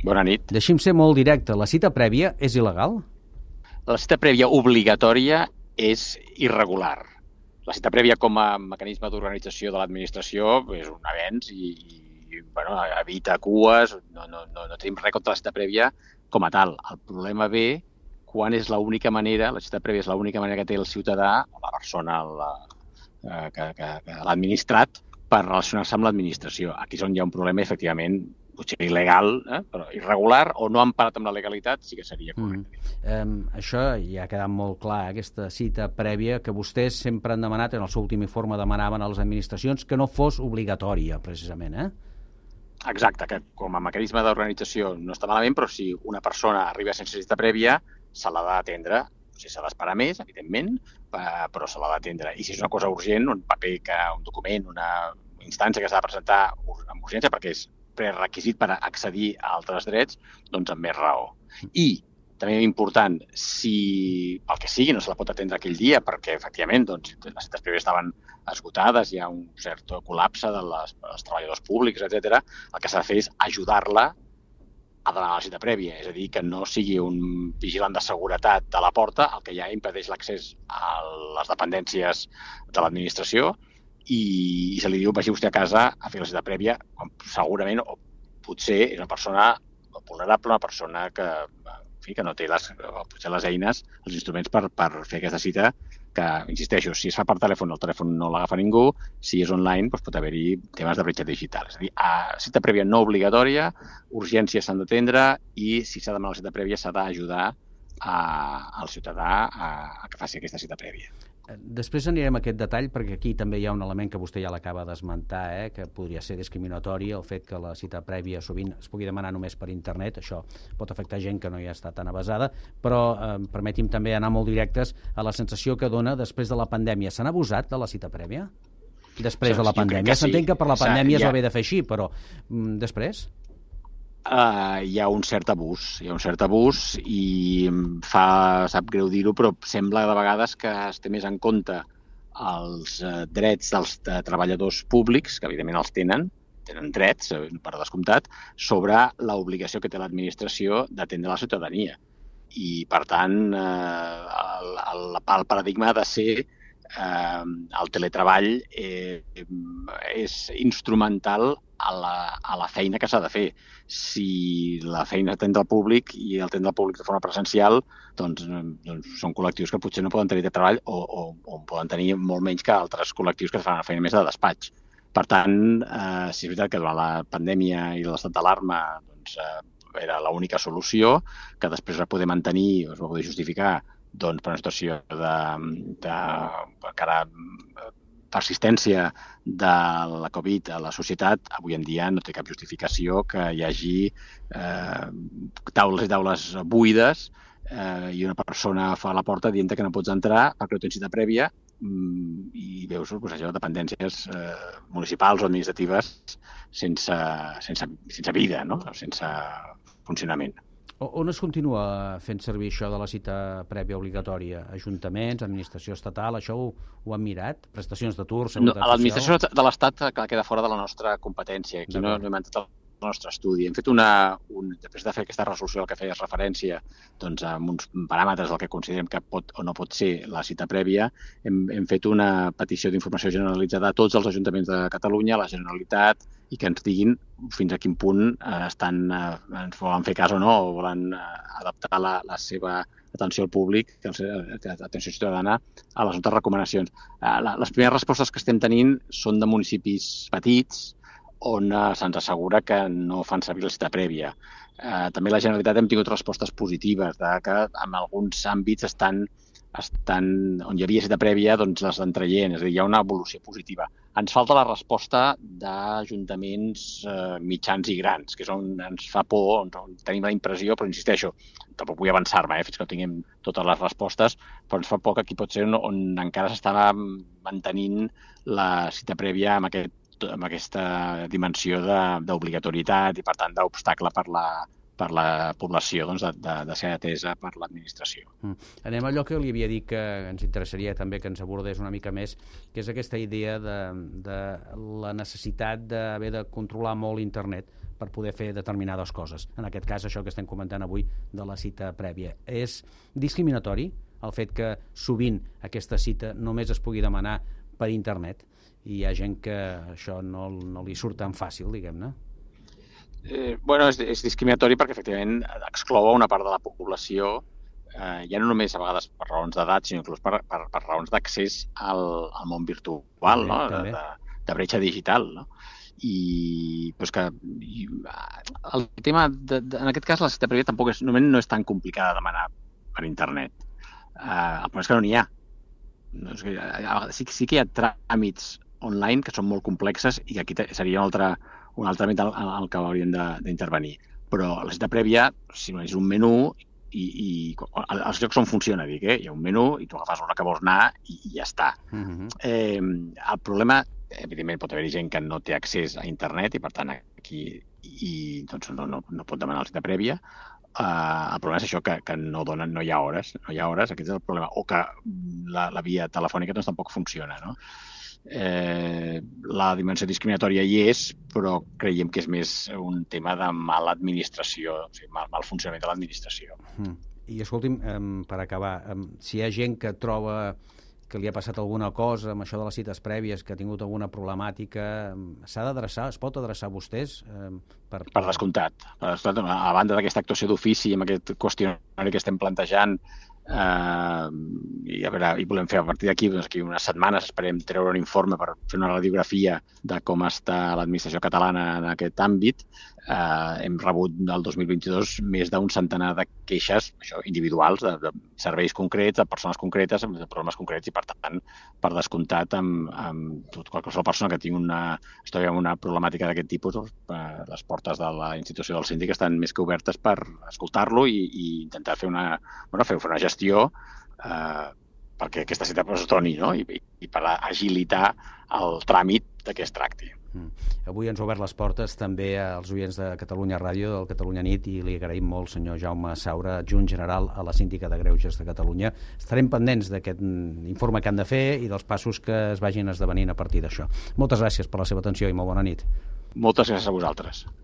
Bona nit. Deixi'm ser molt directe. La cita prèvia és il·legal? La cita prèvia obligatòria és irregular. La cita prèvia com a mecanisme d'organització de l'administració és un avenç i evita cues, no tenim res contra la cita prèvia com a tal. El problema ve quan és l'única manera, la cita prèvia és l'única manera que té el ciutadà, o la persona que l'ha administrat, per relacionar-se amb l'administració. Aquí és on hi ha un problema, efectivament, potser il·legal, però irregular o no emparat amb la legalitat, sí que seria correcte. Això ja ha quedat molt clar, aquesta cita prèvia que vostès sempre han demanat, en el seu últim informe demanaven a les administracions que no fos obligatòria, precisament, Exacte, que com a mecanisme d'organització no està malament, però si una persona arriba sense cita prèvia, se l'ha d'atendre. Si s'ha d'esperar més, evidentment, però se l'ha d'atendre. I si és una cosa urgent, un paper, un document, una instància que s'ha de presentar amb urgència perquè és prerequisit per accedir a altres drets, doncs amb més raó. I també important, si pel que sigui no se la pot atendre aquell dia perquè efectivament les cites prèvies estaven esgotades, hi ha un cert col·lapse dels treballadors públics, etc., el que s'ha de fer és ajudar-la a demanar la cita prèvia, és a dir, que no sigui un vigilant de seguretat de la porta el que ja impedeix l'accés a les dependències de l'administració i se li diu vagi vostè a casa a fer la cita prèvia, quan segurament o potser és una persona vulnerable, una persona que no té potser les eines, els instruments per fer aquesta cita, que, insisteixo, si es fa per telèfon, el telèfon no l'agafa ningú, si és online doncs pot haver-hi temes de bretxa digital. És a dir, cita prèvia no obligatòria, urgències s'han d'atendre i si s'ha de demanar la cita prèvia s'ha d'ajudar al ciutadà a que faci aquesta cita prèvia. Després anirem a aquest detall perquè aquí també hi ha un element que vostè ja l'acaba d'esmentar, que podria ser discriminatori, el fet que la cita prèvia sovint es pugui demanar només per internet. Això pot afectar gent que no hi ha estat tan avesada, però permeti'm també anar molt directes a la sensació que dona després de la pandèmia. Se n'ha abusat de la cita prèvia? Després de la pandèmia. S'entén que per la pandèmia es va haver de fer així, però després? Hi ha un cert abús i em sap greu dir-ho, però sembla de vegades que es té més en compte els drets dels treballadors públics, que evidentment els tenen drets, per descomptat, sobre l'obligació que té l'administració d'atendre la ciutadania. I, per tant, el paradigma ha de ser el teletreball és instrumental a la feina que s'ha de fer. Si la feina atendre al públic i atendre al públic de forma presencial, doncs són col·lectius que potser no poden tenir de treball o poden tenir molt menys que altres col·lectius que fan una feina més de despatx. Per tant, sí és veritat que durant la pandèmia i l'estat d'alarma era l'única solució, que després es va poder mantenir, es va poder justificar per una situació de persistència de la Covid a la societat. Avui en dia no té cap justificació que hi hagi taules i taules buides i una persona fa a la porta dient que no pots entrar perquè no tens cita prèvia i veus això, dependències municipals o administratives sense vida, no? Sense funcionament. On es continua fent servir això de la cita prèvia obligatòria? Ajuntaments, administració estatal, això ho han mirat? Prestacions d'atur, seguretat social? L'administració de l'Estat queda fora de la nostra competència. Aquí no hem entrat al nostre estudi. Hem fet després de fer aquesta resolució al que feies referència, doncs amb uns paràmetres del que considerem que pot o no pot ser la cita prèvia, hem fet una petició d'informació generalitzada a tots els ajuntaments de Catalunya, a la Generalitat, i que ens diguin fins a quin punt ens volen fer cas o no, o volen adaptar la seva atenció al públic, atenció ciutadana, a les nostres recomanacions. Les primeres respostes que estem tenint són de municipis petits, on se'ns assegura que no fan servir la cita prèvia. També la Generalitat hem tingut respostes positives, que en alguns àmbits on hi havia cita prèvia, doncs les estan traient, és a dir, hi ha una evolució positiva. Ens falta la resposta d'ajuntaments mitjans i grans, que és on ens fa por, on tenim la impressió, però insisteixo, tampoc vull avançar-me fins que no tinguem totes les respostes, però ens fa por que aquí pot ser on encara s'estava mantenint la cita prèvia amb aquesta dimensió d'obligatorietat i, per tant, d'obstacle per la població de ser atesa per l'administració. Anem a allò que li havia dit que ens interessaria també que ens abordés una mica més, que és aquesta idea de la necessitat d'haver de controlar molt internet per poder fer determinades coses. En aquest cas, això que estem comentant avui de la cita prèvia. És discriminatori el fet que sovint aquesta cita només es pugui demanar per internet i hi ha gent que això no li surt tan fàcil, diguem-ne? Bueno, és discriminatori perquè efectivament exclou una part de la població, ja no només a vegades per raons d'edat, sinó inclús per raons d'accés al món virtual, no? De bretxa digital, no? I pues que el tema en aquest cas la cita prèvia tampoc no és tan complicada de demanar per internet. El problema és que no n'hi ha. Sí que hi ha tràmits online que són molt complexes i que aquí seria un altre àmbit al que hauríem d'intervenir. Però la cita prèvia, si no és un menú, i els llocs on funciona, dic, hi ha un menú i tu agafes l'hora que vols anar i ja està. El problema, evidentment, pot haver-hi gent que no té accés a internet i, per tant, aquí doncs, no pot demanar la cita prèvia. El problema és això, que no hi ha hores, aquest és el problema, o que la via telefònica doncs, tampoc funciona, no? La dimensió discriminatòria hi és, però creiem que és més un tema de mala administració, o sigui, mal funcionament de l'administració. I escolti'm, per acabar, si hi ha gent que troba que li ha passat alguna cosa amb això de les cites prèvies, que ha tingut alguna problemàtica, s'ha d'adreçar, es pot adreçar a vostès? Per descomptat. A banda d'aquesta actuació d'ofici, amb aquest qüestionari que estem plantejant, i volem fer a partir d'aquí, doncs aquí unes setmanes esperem treure un informe per fer una radiografia de com està l'administració catalana en aquest àmbit. Hem rebut el 2022 més d'un centenar de queixes individuals, de serveis concrets, de persones concretes, de problemes concrets, i per tant, per descomptat, amb qualsevol persona que tingui una problemàtica d'aquest tipus, les portes de la institució del síndic estan més que obertes per escoltar-lo i intentar fer una gestió perquè aquesta cita es doni, no? I per agilitar el tràmit de què es tracti. Avui ens ha obert les portes també als oients de Catalunya Ràdio, del Catalunya Nit, i li agraïm molt, senyor Jaume Saura, adjunt general a la Síndica de Greuges de Catalunya. Estarem pendents d'aquest informe que han de fer i dels passos que es vagin esdevenint a partir d'això. Moltes gràcies per la seva atenció i molt bona nit. Moltes gràcies a vosaltres.